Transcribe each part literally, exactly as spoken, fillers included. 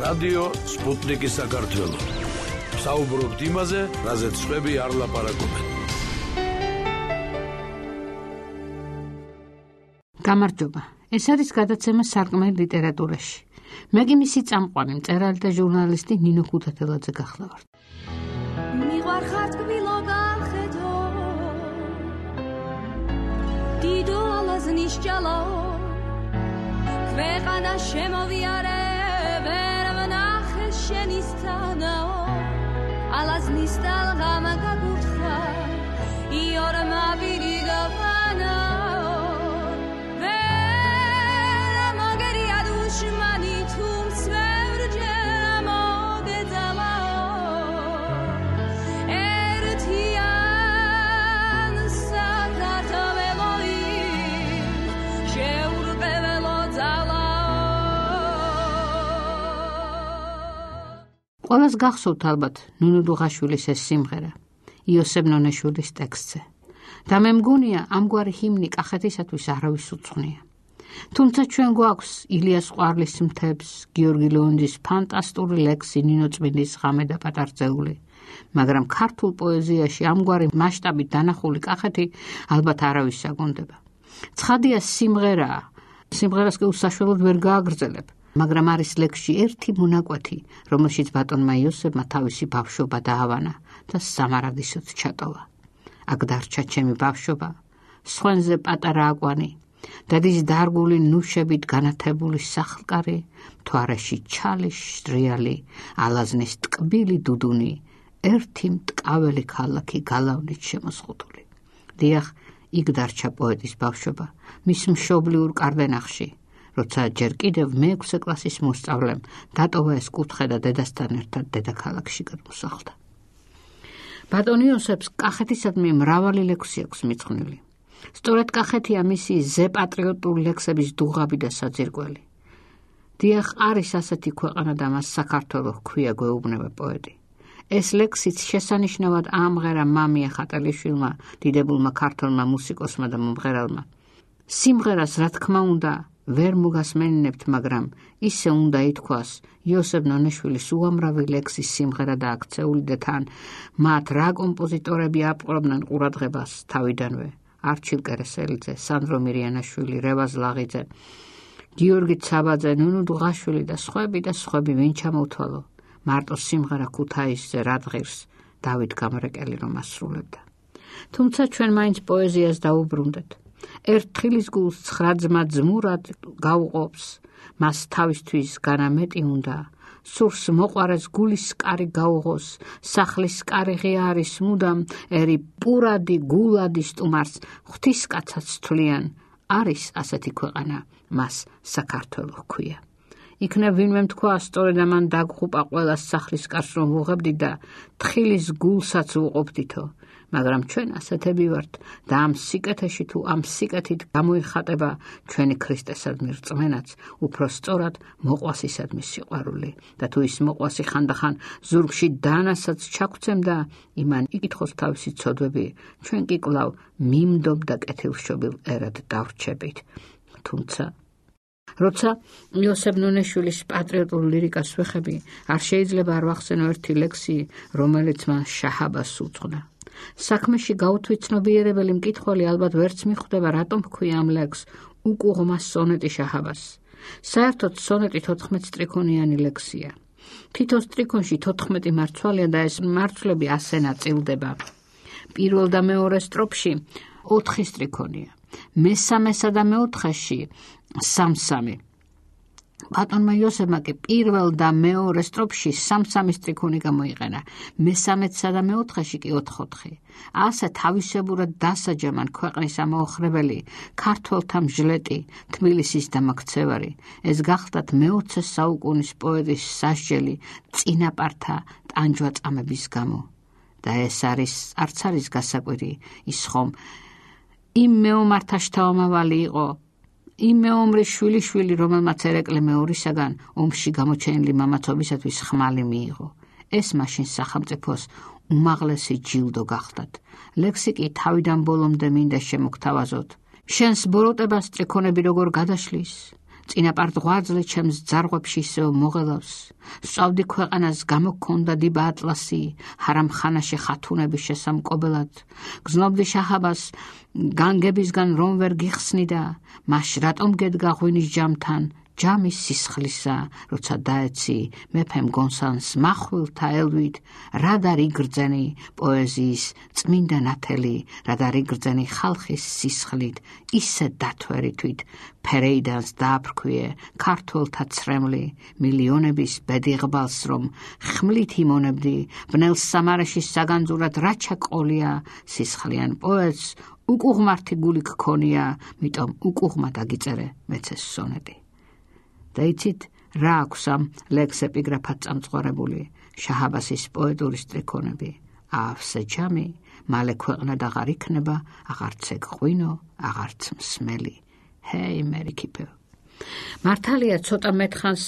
რადიო სპუტნიკი საქართველო. საუბრობთ იმაზე, რაზეც სხვები არ ლაპარაკობენ. გამარჯობა. ეს არის გადაცემა სარკმელი ლიტერატურაში. მე კი მისი წამყვანი მწერალი და ჟურნალისტი ნინო ქუთათელაძე გახლავართ. მიყვარხარ თბილო გახედო დიდო ალაზნის ჭალო ქვეყანა შემოვიარე ვერ ვნახე შენისთანაო ალაზნის ტალღამ გაგუთხა იორ მაბირი გავანაო ვერ მაგერია დუშმანი თუმს ვერჯე მოგეძალაო ერთიან საქართველოი შეურყეველო ძალაო. ყველას გახსოვთ ალბათ ნუნუ დუღაშვილის ეს სიმღერა იოსებ ნონეშვილის ტექსტზე და მე მგონია ამგვარი ჰიმნი კახეთისათვის არავის უცვნია. თუმცა ჩვენ გვაქვს ილიას ყვარლის მთებს, გიორგი ლეონიძის ფანტასტური ლექსი ნინო წმინდის ღამე და პატარძეული, მაგრამ ქართულ პოეზიაში ამგვარი მასშტაბით დანახული კახეთი ალბათ არავის საგონდება. ცხადია სიმღერაა, სიმღერას კი უსაშველოდ ვერ გააგრძელებ, მაგრამ არის ლექსში ერთი მონაკვეთი, რომელშიც ბატონმა იოსებმა თავისი ბავშვობა დაავანა და სამარადისოდ ჩატოვა. აქ დარჩა ჩემი ბავშვობა, სხვენზე პატარა აკვანი, დადის დარგული ნუშებით განათებული სახლკარი, მთვარეში ჩალი შრიალი, ალაზნის ტკბილი დუდუნი, ერთი მტკაველი ქალაქი გალავნით შემოსხუთული. დიახ, იქ დარჩა პოეტის ბავშვობა, მის მშობლიურ კარდენახში, როცა ჯერ კიდევ მეექვსე კლასის მოსწავლემ დატოვა ეს კუთხე და დედასთან ერთად დედაქალაქში გადმოსახლდა. ბატონ იოსებს კახეთისადმი მრავალი ლექსი აქვს მიძღვნილი. სწორედ კახეთია მისი ზეპატრიოტული ლექსების დუღაბი და საძირკველი. დიახ, არის ასეთი ქვეყანა და მას საქართველო ჰქვია, გვეუბნება პოეტი. ეს ლექსიც შესანიშნავად აამღერა მამია ხატალიშვილმა, დიდებულმა ქართველმა მუსიკოსმა და მომღერალმა. სიმღერას, რა თქმა უნდა, ვერ მოგასმენინებთ, მაგრამ ისე უნდა ითქვას, იოსებ ნონეშვილის უამრავი ლექსის სიმღერა და აქცეული და თან მათ რა კომპოზიტორები აპყრობდნენ ყურადღებას თავიდანვე. არჩილ კერესელიძე, სანდრო მირიანაშვილი, რევაზ ლაღიძე, გიორგი ცაბაძე, ნუნუ დუღაშვილი და სხვები და სხვები ვინ ჩამოთვალო. მარტო სიმღერა ქუთაისზე რადღირს დავით გამრეკელი რომ ასრულებდა. თუმცა ჩვენ მაინც პოეზიას დაუბრუნდეთ. ერთხილის გულს ცხრა ძმა ძმურად გაუყოფს, მას თავისთვის განამეტი უნდა, სურს მოყვარეს გულის კარი გაუღოს, სახლის კარი ღია არის მუდამ, ერი პურადი გულადი სტუმარს ღვთისკაცაც თვლიან, არის ასეთი ქვეყანა, მას საქართველო ჰქვია. იქნებ ვინმე თქვა, სწორედ ამან დაგხუპა ყველას სახლის კარს რომ ვუღებდი და თხილის გულსაც ვუყოფდითო, მაგრამ ჩვენ ასეთები ვართ და ამ სიკეთეში თუ ამ სიკეთით გამოიხატება ჩვენი ქრისტესადმი რწმენაც, უფრო სწორად მოყვასისადმი სიყვარული და თუ ის მოყვასი ხანდახან ზურგში დანასაც ჩაგვცემდა, იმან იკითხოს თავისი ცოდვები, ჩვენ კი კვლავ მიმდობ და კეთილშობილ ერად დავრჩებით. თუმცა როცა იოსებ ნონეშვილის პატრიოტულ ლირიკას ვეხები, არ შეიძლება არ ვახსენო ერთი ლექსი, რომელიც მას შაჰაბას უძღვნა. საქმეში გაუთვითცნობიერებელი მკითხველი ალბათ ვერც მიხვდება, რატომ ჰქვია ამ ლექსს უკუღმა სონეტი შაჰაბას. საერთოდ სონეტი თოთხმეტ სტრიქონიანი ლექსია. თითო სტრიქონში თოთხმეტი მარცვალია და ეს მარცვლები ასე ნაწილდება. პირველ და მეორე სტროფში ოთხი სტრიქონია, მესამესა და მეოთხეში სამ-სამი. ბატონმა იოსებმა კი პირველ და მეორე სტროფში სამ-სამი სტრიქონი გამოიყენა, მესამეცსა და მეოთხეში კი ოთხ-ოთხი. ასე თავისებურად დასაჯამან ქვეყნის ამაოხრებელი, ქართველთა მჟლეტი, თბილისის დამაქცევარი. ეს გახლდათ მეოცე საუკუნის პოეტის სასჯელი წინაპართა ტანჯვაწამების გამო. და ეს არის არც არის გასაკვირი ის ხომ იმ მეომართა შთამომავალი იყო, იმ მეომრის შვილიშვილი, რომელმაც ერეკლე მეორისაგან ომში გამოჩენილი მამაცობისათვის ხმალი მიიღო. ეს მაშინ სახელმწიფოს უმაღლესი ჯილდო გახდათ. ლექსი კი თავიდან ბოლომდე მინდა შემოგთავაზოთ. შენს ბოროტებას სტრიქონები როგორ გადაშლის წინაპარდღვაძლე ჩემს ძარღვებში ისევ მოღელავს. სწავდი ქვეყანას გამოგქონდა დილა ატლასი, ჰარამ ხანაში ხათუნების შესამკობელად. გზნობდი შაჰაბას განგებისგან რომ ვერ გიხსნიდა, მაშ რატომ გედგა ღვინის ჯამთან, ჯამის სისხლისა, როცა დაეცი მეფემ გონსანს მახვილთა ელვით, რად არ იგრძენი პოეზიის წმინდა ნათელი, რად არ იგრძენი ხალხის სისხლით, ისე დათვერითვით ფერეიდანს დააფრქვიე ქართველთა ცრემლი, მილიონების ბედიღბალს რომ ხმლით იმონებდი, ბნელ სამარაშის საგანძურად რაჩა ყოლია, სისხლიან პოეტს უკუღმართი გული გქონია, მიტომ უკუღმა დაგიწერე მეცეს სონეტი. და იცით რა აქვს ამ ლექს ეპიგრაფად წამწყორებული შაჰაბასის პოეტური სტრიქონები. ავსე ჯამი, მალე ქვეყნად აღარ იქნება, აღარც ეგ ღვინო, აღარც მსმელი. ჰეი მერიქიფე. მართალია ცოტა მეთხანს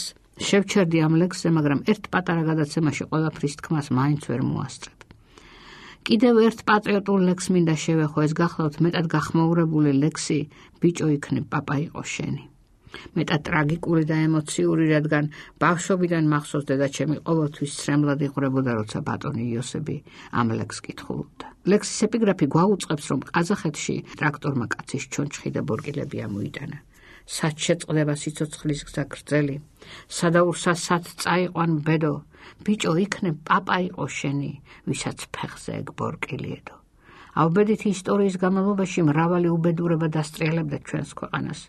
შევჩერდი ამ ლექსზე, მაგრამ ერთ პატარა გადაცემაში ყველაფრის თქმას მაინც ვერ მოასწრებ. კიდევ ერთ პატრიოტულ ლექს მინდა შევეხო, ეს გახლავთ მეტად გახმაურებული ლექსი ბიჭო იქნებ პაპა იყო შენი. მეტად ტრაგიკული და ემოციური, რადგან ბავშვობიდან მახსოვს დედაჩემი ყოველთვის სრემლად იყვრებოდა, როცა ბატონი იოსები ამ ლექსს კითხულობდა. ლექსის ეპიგრაფი გვაუწყებს, რომ ყაზახეთში ტრაქტორმა კაცის ჩონჩხი და ბორკილები ამოიტანა. სად შეწყდება სიცოცხლის გზა გრძელი, სადაურსა სად წაიყვან ბედო, ბიჭო იქნებ პაპა იყო შენი, ვისაც ფეხზე ეგ ბორკილიედო. ავბედითი ისტორიის განმავლობაში მრავალი უბედურება დასტრიალებდა ჩვენს ქვეყანას.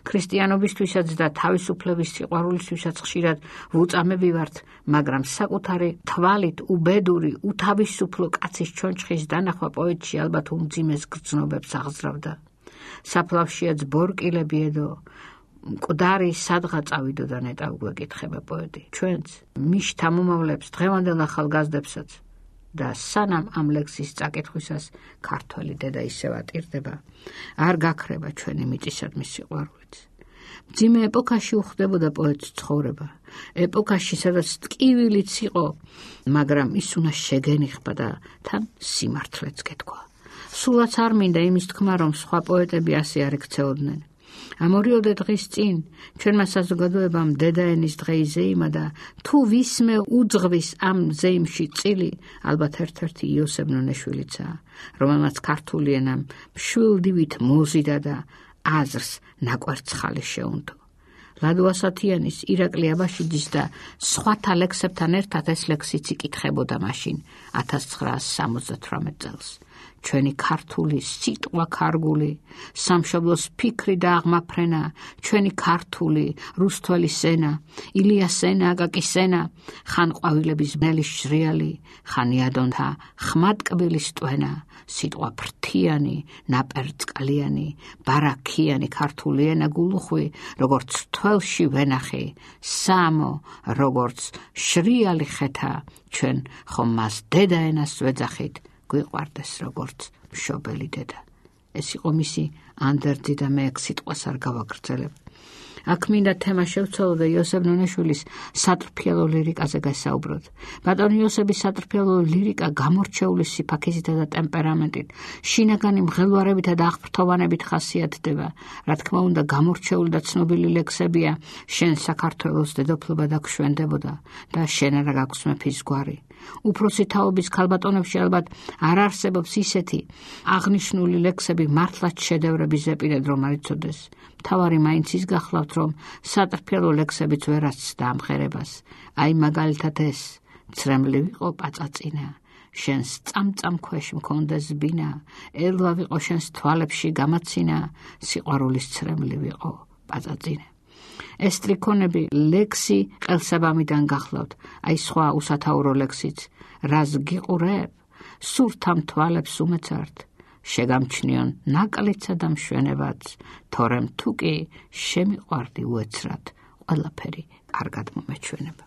ქრისტიანობისთვისაც და თავისუფლების სიყვარულისთვისაც ხშირად ვუწამები ვართ, მაგრამ საკუთარი თვალით უბედური, უთავისუფლო კაცის ჩონჩხის დანახვა პოეტში ალბათ უმძიმეს გრძნობებს აღზრდავდა. საფლავშიაც ბორკილები ედო, მკვდარი სადღა წავიდო და ნეტავ გვეკითხება პოეტი. ჩვენც მიშთა მომავლებს, დღევანდელ ახალგაზრდებსაც და სანამ ამ ლექსის წაკითხვისას ქართველი დედა ისევ ატირდება, არ გაქრება ჩვენი მიწისადმი სიყვარულიც. მძიმე ეპოქაში უხდებოდა პოეტს ცხოვრება, ეპოქაში სადაც ტკივილიც იყო, მაგრამ ის უნდა შეგენიხება და თან სიმართლეც გეთქვა. სულაც არ მინდა იმის თქმა, რომ სხვა პოეტები ასე არ ექცეოდნენ. ამ ორიოდე დღის წინ ჩვენმა საზოგადოებამ დედაენის დღე იზეიმა და თუ ვისმე უძღვის ამ ზეიმში წილი, ალბათ ერთ-ერთი იოსებ ნონეშვილიცაა, რომელმაც ქართული ენამ მშვილდივით მოზიდა და აზრს ნაკვერცხალი შეუნდო. ლადო ასათიანის, ირაკლი აბაშიძის და სხვათა ლექსებთან ერთად ეს ლექსიც იკითხებოდა მაშინ ათას ცხრაასი სამოცდათვრამეტ წელს. ჩვენი ქართული სიტყვა ქარგული, სამშობლოს ფიქრი და აღმაფრენა, ჩვენი ქართული რუსთველი სენა, ილიას სენა, აკაკის სენა, ხან ყვავილების ბნელის შრიალი, ხან იადონთა ხმატკბილის ტვენა, სიტყვა ფრთიანი, ნაპერწკალიანი, ბარაქიანი ქართული ენა გულუხვი, როგორც თველში ვენახი, სამო, როგორც შრიალი ხეთა, ჩვენ ხომ მას დედაენას ვეძახით, გვიყვარდეს როგორც მშობელი დედა. ეს იყო მისი ანდერძი და მე ეგ სიტყვას არ გავაგრძელებ. აქ მინდა თემა შევცვალო და იოსებ ნონეშვილის სატრფიალო ლირიკაზე გასაუბროთ. ბატონი იოსების სატრფიალო ლირიკა გამორჩეული სიფაქიზითა და ტემპერამენტით, შინაგანი მღელვარებითა და აღფრთოვანებით ხასიათდება. რა თქმა უნდა, გამორჩეული და ცნობილი ლექსებია შენ საქართველოს დედოფლობა დაგშვენდებოდა და შენ არა გაქვს მეფის გვარი. უფროსი თაობის ქალბატონებში ალბათ არ არსებობს ისეთი აღნიშნული ლექსები მართლაც შედევრები ზეპირად რომ არ იცოდეს. მთავარი მაინც ის გახლავთ, რომ სატრფიალო ლექსებიც ვერ ასცდა ამღერებას. აი მაგალითად ეს ცრემლი ვიყო პაწაწინა, შენს წამწამ ქვეშ მქონდეს ბინა, ელვა ვიყო შენს თვალებში გამაცინა, სიყვარულის ცრემლი ვიყო პაწაწინა. ეს სტრიქონები ლექსი ყელსაბამიდან გახლავთ, აი სხვა უსათაურო ლექსიც, რას გიყურებ, სურთამ თვალებს უმეცართ, შეგამჩნიონ ნაკლეცა და მშვენებაც, თორემ თუ კი შემიყვარდი უეცრად, ყველაფერი კარგად მომეჩვენება.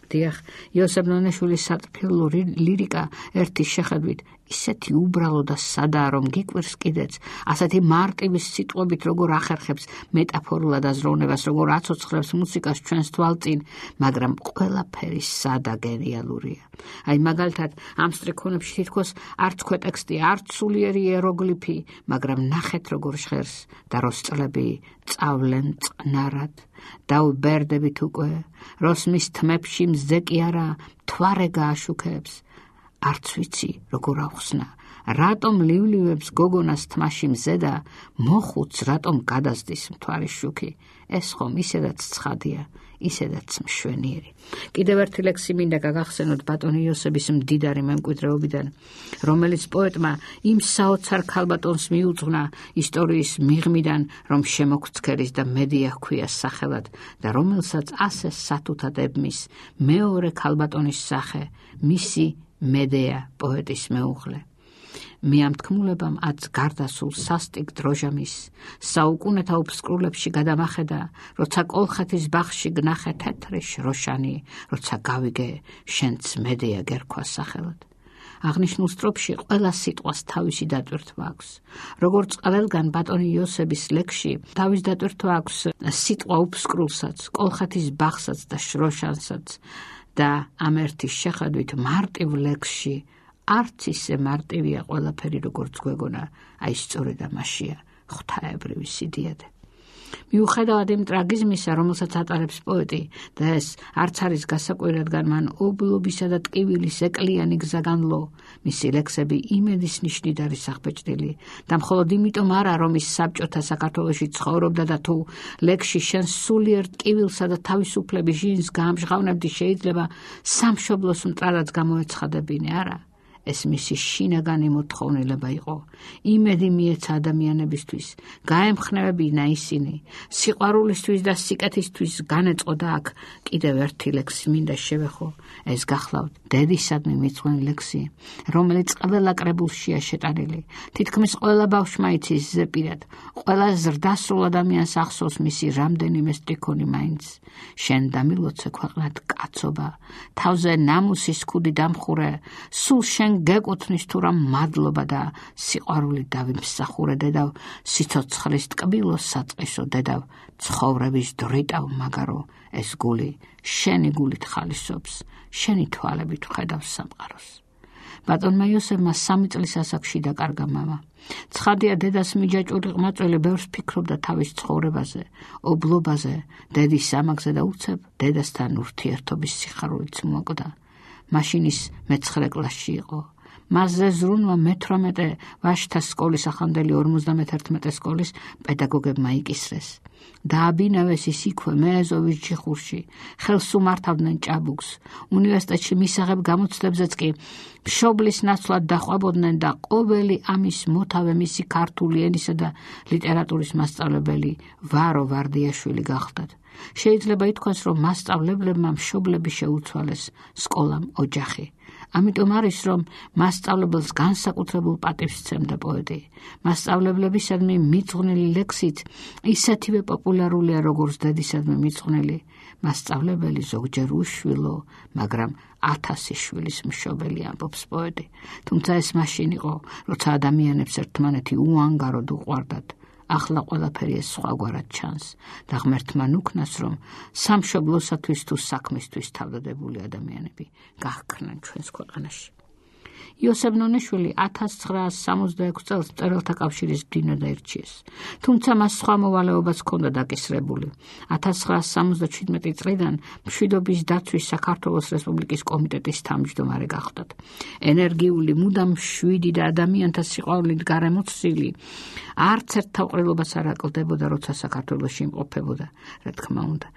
დიახ, იოსებ ნონეშვილის სატრფიალო ლირიკა ერთი შეხედვით ისეთი უბრალო და სადაა, რომ გიკვირს კიდეც, ასეთი მარტივი სიტყვებით როგორ ახერხებს მეტაფორულად აზროვნებას, როგორ აცოცხლებს მუსიკას ჩვენს თვალწინ, მაგრამ ყველაფერი სადა გენიალურია. აი მაგალითად, ამ სტრიქონებში თითქოს არც ქვეტექსტი, არც სულიერი იეროგლიფი, მაგრამ ნახეთ როგორ ჟღერს და როსწლები წავლენ წყნარად. დავბერდებით უკვე, როსმის თმებში მზე კი არა, მთვარე გააშუქებს. არც ვიცი როგორ ავხსნა, რატომ ლივლივებს გოგონას თმაში მზე და მოხუც რატომ გადასდის მთვარის შუქი. ეს ხომ ისედაც ცხადია, ისედაც მშვენიერი. კიდევ ერთი ლექსი მინდა გაგახსენოთ ბატონი იოსების მდიდარი მემკვიდრეობიდან, რომელიც პოეტმა იმ საოცარ ქალბატონს მიუძღვნა ისტორიის მიღმიდან, რომ შემოგვცქერის და მედია ჰქვია სახელად და რომელსაც ასე სათუთად ებმის მეორე ქალბატონის სახე, მისი მედეა პოეტის მეუღლე. მე ამ თქმულებამ აც გარდასულ სასტიკ დროჟამის საუკუნეთა უფსკრულებში გადამახედა, როცა კოლხეთის ბაღში გნახე თეთრი შროშანი, როცა გავიგე შენც მედეა გერქვა სახელად. აღნიშნულ სტროფში ყველა სიტყვას თავისი დატვირთვა აქვს. როგორც ყველგან ბატონი იოსების ლექსში თავის დატვირთვა აქვს სიტყვა უფსკრულსაც, კოლხეთის ბაღსაც და შროშანსაც და ამ ერთის შეხედვით მარტივ ლექსში არც ისე მარტივია ყველაფერი, როგორც გვეგონა, აი სწორედ ამაშია ღვთაებრივი სიდიადე. მიუხედავად იმ ტრაგიზმისა, რომელსაც ატარებს პოეტი და ეს არც არის გასაკვირი, რადგან მან ობლობისა და ტკივილის ეკლიანი გზა განლო, მისი ლექსები იმედის ნიშნით არის აღბეჭდილი და მხოლოდ იმიტომ არა, რომ ის საბჭოთა საქართველოში ცხოვრობდა და თუ ლექსში შენ სულიერ ტკივილსა და თავისუფლების ჟინს გაამჟღავნებდი, შეიძლება სამშობლოს მტრადაც გამოეცხადებინე, არა. ეს მისი შინაგანი მოთხოვნილება იყო. იმედი მიეცა ადამიანებისთვის, გაემხნევებინა ისინი, სიყვარულისთვის და სიკეთისთვის განეწყოდა აქ. კიდევ ერთი ლექსი მინდა შევეხო, ეს გახლავთ დედისადმი მიწვენი ლექსი, რომელიც ყველა კრებულშია შეტანილი. თითქმის ყველა ბავშვმა იცის ზეპირად, ყველა ზრდასრულ ადამიანს ახსოვს მისი რამდენიმე სტრიქონი მაინც. შენ დამილოცე ქვეყნად კაცობა, თავზე ნამუსის ქუდი დამხურე, სულ შენ გეკუთვნის თუ რა მადლობა და სიყვარული დავიმსახურე დედავ, სიცოცხლის ტკბილო საწყისო დედავ, ცხოვრების დრიტავ მაგარო, ეს გული შენი გულით ხალისობს, შენი თვალებით ვხედავს სამყაროს. ბატონმა იოსებმა სამი წლის ასაკში დაკარგა მამა. ცხადია, დედას მიჯაჭვური ყმაწვილი ბევრს ფიქრობდა თავის ცხოვრებაზე, ობლობაზე, დედის ამაგზე და უცებ დედასთან ურთიერთობის სიხარულიც მოკვდა. მაშინ ის მეცხრე კლასში იყო. მასზე ზრუნვა მეთვრამეტე ვაჟთა სკოლის ახანდელი ორმოცდამეთერთმეტე სკოლის პედაგოგებმა იკისრეს. დააბინავეს ის იქვე მეეზოვის ჯიხურში, ხელს უმართავდნენ ჭაბუკს. უნივერსიტეტში მისაღებ გამოცდებზეც კი მშობლის ნაცვლად დაყვაბოდნენ და ყოველი ამის მოთავე მისი ქართული ენისა და ლიტერატურის მასწავლებელი ვარო ვარდიაშვილი გახდათ. შეიძლება ითქვას, რომ მასწავლებლებმა მშობლები შეუცვალეს, სკოლამ ოჯახი. ამიტომ არის, რომ მასწავლებელს განსაკუთრებულ პატივს სცემდა პოეტი. მასწავლებლებისადმი მიძღვნილი ლექსით ისეთივე პოპულარულია, როგორც დედისადმი მიძღვნილი. მასწავლებელი ზოგჯერ უშვილო, მაგრამ ათასი შვილის მშობელი, ამბობს პოეტი. თუმცა ეს მაშინ იყო, როცა ადამიანებს ერთმანეთი უანგაროდ უყვარდათ. ახლა ყველაფერი ეს სხვაგვარად ჩანს და ღმერთმა ნუქნას, რომ სამშობლოსათვის თუ საქმისთვის თავდადებული ადამიანები გაჰქრნენ ჩვენს ქვეყანაში. იოსებ ნონიშვილი ათას ცხრაას სამოცდაექვსი წელს მწერალთა კავშირის მდივნად აირჩიეს. თუმცა მას სხვა მოვალეობაც ჰქონდა დაკისრებული. ათას ცხრაას სამოცდაჩვიდმეტი წლიდან მშვიდობის დაცვის საქართველოს რესპუბლიკის კომიტეტის თავმჯდომარე გახდათ. ენერგიული, მუდამ მშვიდი და ადამიანთა სიყვარულით გარემოცილი, არც ერთ თავყრილობას არ აკლდებოდა, როცა საქართველოში იმყოფებოდა, რა თქმა უნდა.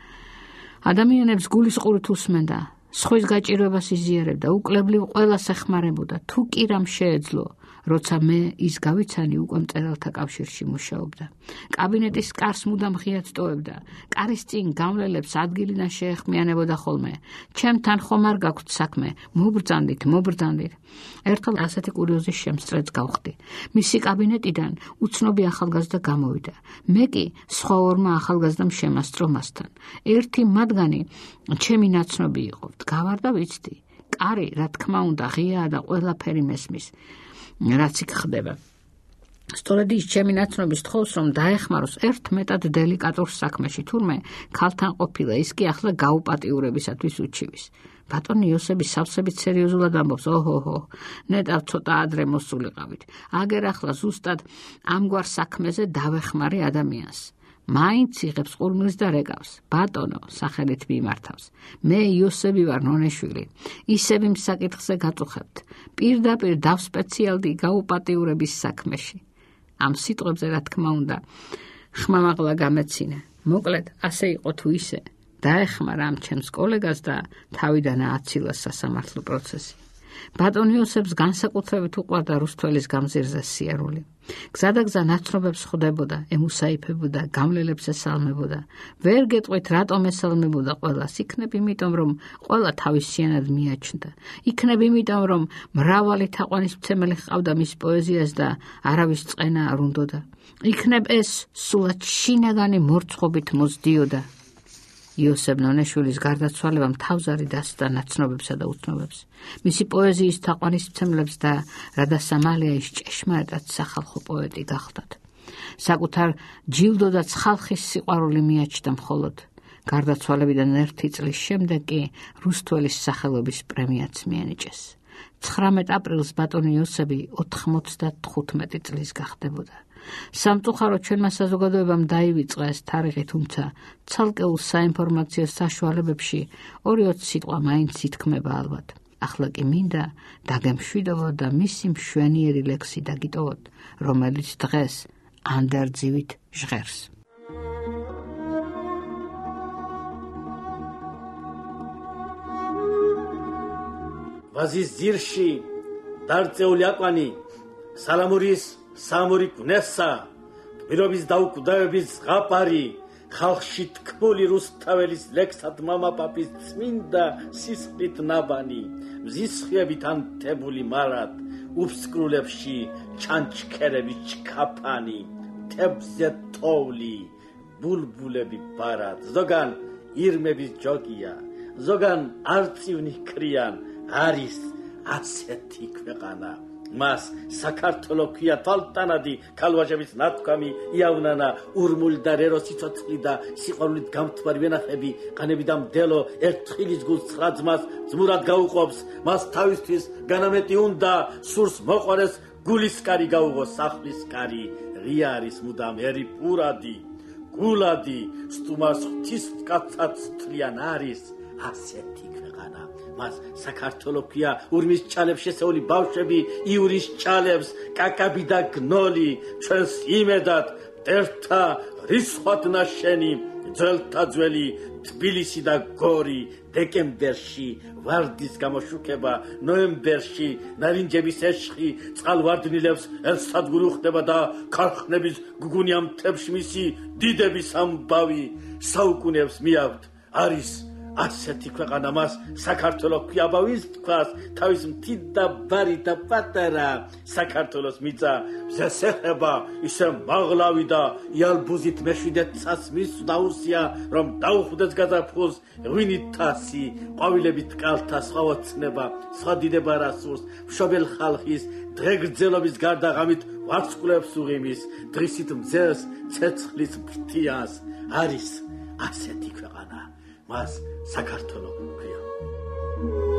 ადამიანებს გულისყურით უსმენდა, სხვის გაჭირვებას იზიარებდა, უკლებლივ ყველას ეხმარებოდა, თუ კი რამ შეეძლო, როცა მე ის გავიცანი უკვე მწერალთა კავშირში მუშაობდა. კაბინეტის კარს მუდამ ღიად ტოვებდა, კარის წინ გამლელებს ადგილიდან შეეხმიანებოდა ხოლმე. ჩემთან ხომ არ გაქვთ საქმე, მობრძანდით, მობრძანდით. ერთხელ ასეთი კურიოზის შემსწრეც გავხდი. მისი კაბინეტიდან უცნობი ახალგაზრდა გამოვიდა. მე კი სხვა ორმა ახალგაზრდამ შემასწრო მასთან. ერთი მათგანი ჩემი ნაცნობი იყო. გავარ და ვიცდი. კარი, რა თქმა უნდა, ღიაა და ყველაფერი მესმის. რაც იქ ხდება. სწორედ ის ჩემი ნაცნობის თხოვს, რომ დაეხმაროს ერთ მეტად დელიკატურ საქმეში, თურმე ქალთან ყოფილა, ის კი ახლა გაუპატიურებისათვის უჩივის. ბატონი იოსები სავსებით სერიოზულად ამბობს, ოჰოჰო, ნეტავ ცოტა ადრე მოსულიყავით. აგერ ახლა ზუსტად ამგვარ საქმეზე დავეხმარე ადამიანს. მაინც იღებს ყურმილს და რეკავს. ბატონო, სახელით მიმართავს. მე იოსები ვარ ნონეშვილი. ისევ იმ საკითხზე გაწუხებთ. პირდაპირ დავსპეციალდი გაუპატიურების საქმეში. ამ სიტყვებზე რა თქმა უნდა, ხმამაღლა გამეცინა. მოკლედ, ასე იყო თუ ისე, დაეხმარა ამ ჩემს კოლეგას და თავიდან ააცილა სასამართლო პროცესი. ბატონ იოსებს განსაკუთრებით უყვარდა რუსთველის გამზირზე სიარული. გზადაგზა ნაცნობებს ხვდებოდა, ემუსაიფებოდა, გამლელებს ესალმებოდა. ვერ გეტყვით, რატომ ესალმებოდა ყველას. იქნებ იმიტომ, რომ ყველა თავისიანად მიაჩნდა. იქნებ იმიტომ, რომ მრავალი თაყვანისმცემელი ჰყავდა მის პოეზიას და არავის წყენა არ უნდოდა. იქნებ ეს სულად შინაგანი მორცხობით მოსდიოდა. იოსებ ნონეშვილის გარდაცვალებამ თავზარი დასდა ნაცნობებსა და უცნობებს. მისი პოეზიის თაყვანისმცემლებს და რადასამალია ის ჭეშმარიტად სახალხო პოეტი გახდათ. საკუთარ ჯილდო და ხალხის სიყვარული მიაჩნდა მხოლოდ. გარდაცვალებიდან ერთი წლის შემდეგ კი რუსთველის სახელობის პრემიაც მიენიჭეს. ცხრამეტ აპრილს ბატონი იოსები ოთხმოცდათხუთმეტი წლის გახდებოდა. სამწუხაროდ ჩვენმა საზოგადოებამ დაივიწყა ეს თარიღი, თუმცა ცალკეულ საინფორმაციო საშუალებებში ორი-ოც სიტყვა მაინც ითქმება ალბათ. ახლა კი მინდა დაგემშვიდობოთ და მისი მშვენიერი ლექსი დაგიტოვოთ, რომელიც დღეს ანდერძივით ჟღერს. ვაზის ძირში დარწეული აკვანი სალამურის სამური გნესა, გმირობის დაუკვდავების ზღაპარი, ხალხში თქმული რუსთაველის ლექსად მამაპაპის წმინდა სისხლით ნაბანი, მზის ხიებით ანთებული მარად, უფსკრულებში ჩანჩქერების ჩქაფანი, მთებზე თოვლი, ბულბულები ბარად, ზოგან ირმების ჯოგია, ზოგან არწივნი ქრიან, არის ასეთი ქვეყანა. მას საქართველო ქვია თვალტანადი, ქალვაჟების ნათქვამი იავნანა, ურმული და რერო სიცოცხლი და სიყვარულით გამთბარი ვენახები, ყანები და მდელო ერთხილის გულს ცხრა ძმას ძმურად გაუყოფს, მას თავისთვის განამეტი უნდა, სურს მოყვარეს გულისკარი გაუღო სახლის კარი, ღია არის მუდამ ერი პურადი, გულადი, სტუმარს ღვთის კაცად თვლიან არის, ასეთი ქვეყანა. მას საქართველო ქვია, ურმის ჭალებს შესეული ბავშვები, ივრის ჭალებს, კაკაბი და გნოლი, ჩვენს იმედად ერთა რისხვად ნაშენი, ძველთა ძველი თბილისი და გორი, დეკემბერში ვარდის გამოშუქება, ნოემბერში ნარინჯების ეშხი, წყალვარდნილებს ერთსადგური უხდება და ქარხნების გუგუნია მთებში მისი დიდების ამბავი, საუკუნეებს მიაქვთ, არის ასეთი ქვეყანა. მას საქართველო ქვია, აბავის თქვას, თავის მთით და ბარი და პატარა, საქართველოს მიწა მზეს ეხება, ისე მაღლავი და იალბუზით მეშვიდე ცას მის დაუსია, რომ დაუხვდეს გაზაფხულს ღვინით თასი, ყვავილებით კალთა სხვა ოცნება, სხვა დიდება რასურს, მშობელ ხალხის დღეგრძელობის გარდა ღამით ვარცხულებს უღიმის, დღისით მძელს ცეცხლის ფრთიანს, არის ასეთი ქვეყანა. მას საქართველო ქვია.